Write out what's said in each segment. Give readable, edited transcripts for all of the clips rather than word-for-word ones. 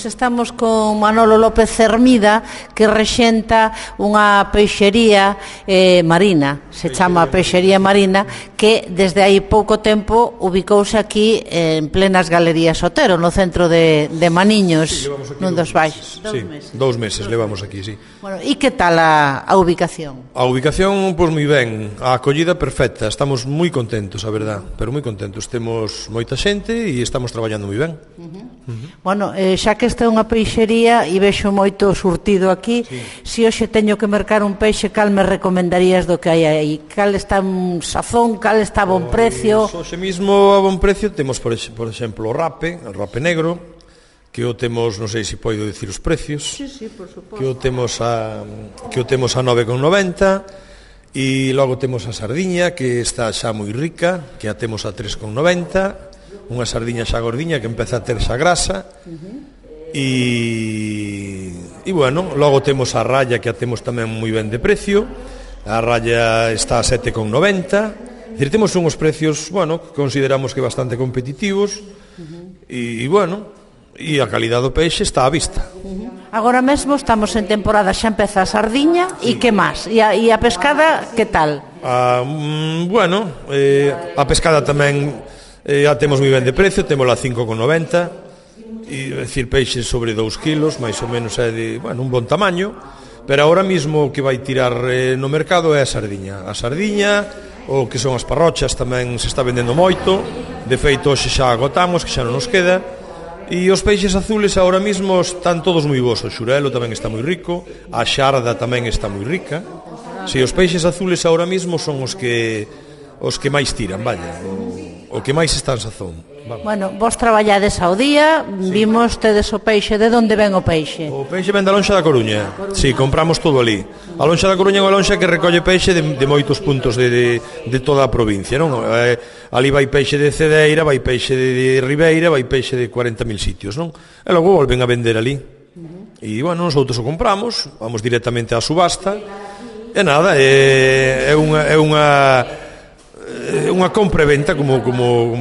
Pois estamos con Manolo López Cermida, que rexenta unha peixería marina, se chama Peixería Marina, que desde hai pouco tempo ubicouse aquí en plenas Galerías Otero, no centro de Maniños, nun dos baixos. 2 meses levamos aquí, sí. Bueno, e que tal a ubicación? A ubicación, pois moi ben, a acollida perfecta, estamos moi contentos, a verdad, pero moi contentos, temos moita xente e estamos traballando moi ben. Bueno, xa que esta é unha peixería e vexo moito surtido aquí, se hoxe teño que mercar un peixe, cal me recomendarías do que hai aí? Cal está un sazón, cal está a bon precio? Hoxe mismo a bon precio temos, por exemplo, o rape negro, que o temos, non sei se podo dicir os precios, Sí, por suposto. que o temos a 9,90, e logo temos a sardiña, que está xa moi rica, que a temos a 3,90, unha sardiña xa gordiña que empeza a ter xa grasa, e bueno, logo temos a raya, que a temos tamén moi ben de precio, a raya está a 7,90, dicir, temos unhos precios, bueno, que consideramos que bastante competitivos, e bueno, e a calidad do peixe está á vista. Agora mesmo estamos en temporada, xa empeza a sardiña, e que máis? E a pescada, que tal? Bueno, a pescada tamén a temos moi ben de precio, temos a 5,90, e decir, peixe sobre 2 kilos, máis ou menos é de, bueno, un bon tamaño, pero agora mismo o que vai tirar no mercado é a sardiña. A sardiña, o que son as parrochas, tamén se está vendendo moito, de feito hoxe xa agotamos, que xa non nos queda. E os peixes azules agora mismo están todos moi bons. O xurelo tamén está moi rico, a xarda tamén está moi rica. Si, os peixes azules agora mismo son os que máis tiran, vaya, o que máis está en sazón. Vamos. Bueno, vos traballades ao día, vimos tedes o peixe, de onde ven o peixe? O peixe ven da lonxa da Coruña. Si, compramos todo ali. A lonxa da Coruña é unha lonxa que recolle peixe de moitos puntos de toda a provincia, non? Ali vai peixe de Cedeira, vai peixe de Ribeira, vai peixe de 40.000 sitios, non? E logo volven a vender ali. E, bueno, nosotros o compramos, vamos directamente á subasta, e nada, é unha compra e venta como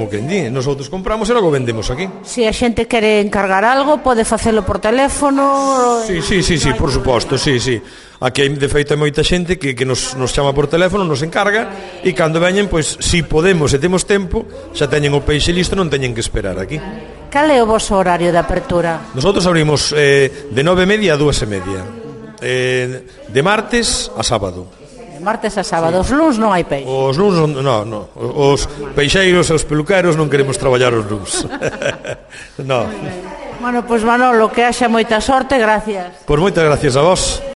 quen di. Nosotros compramos e logo vendemos aquí. Se a xente quere encargar algo, pode facelo por teléfono? Sí, por suposto, sí. Aquí, de feito, hai moita xente que nos chama por teléfono, nos encarga, e cando veñen, pois, si podemos e temos tempo, xa teñen o peixe listo, non teñen que esperar aquí. Cal é o vosso horario de apertura? Nosotros abrimos de 9:30 a 2:30, de martes a sábado. Martes a sábado, os luns non hai peixe. Os luns non. Os peixeiros e os peluqueros non queremos traballar os luns. No. Bueno, pois Manolo, que haxa moita sorte, gracias. Pois moitas gracias a vos.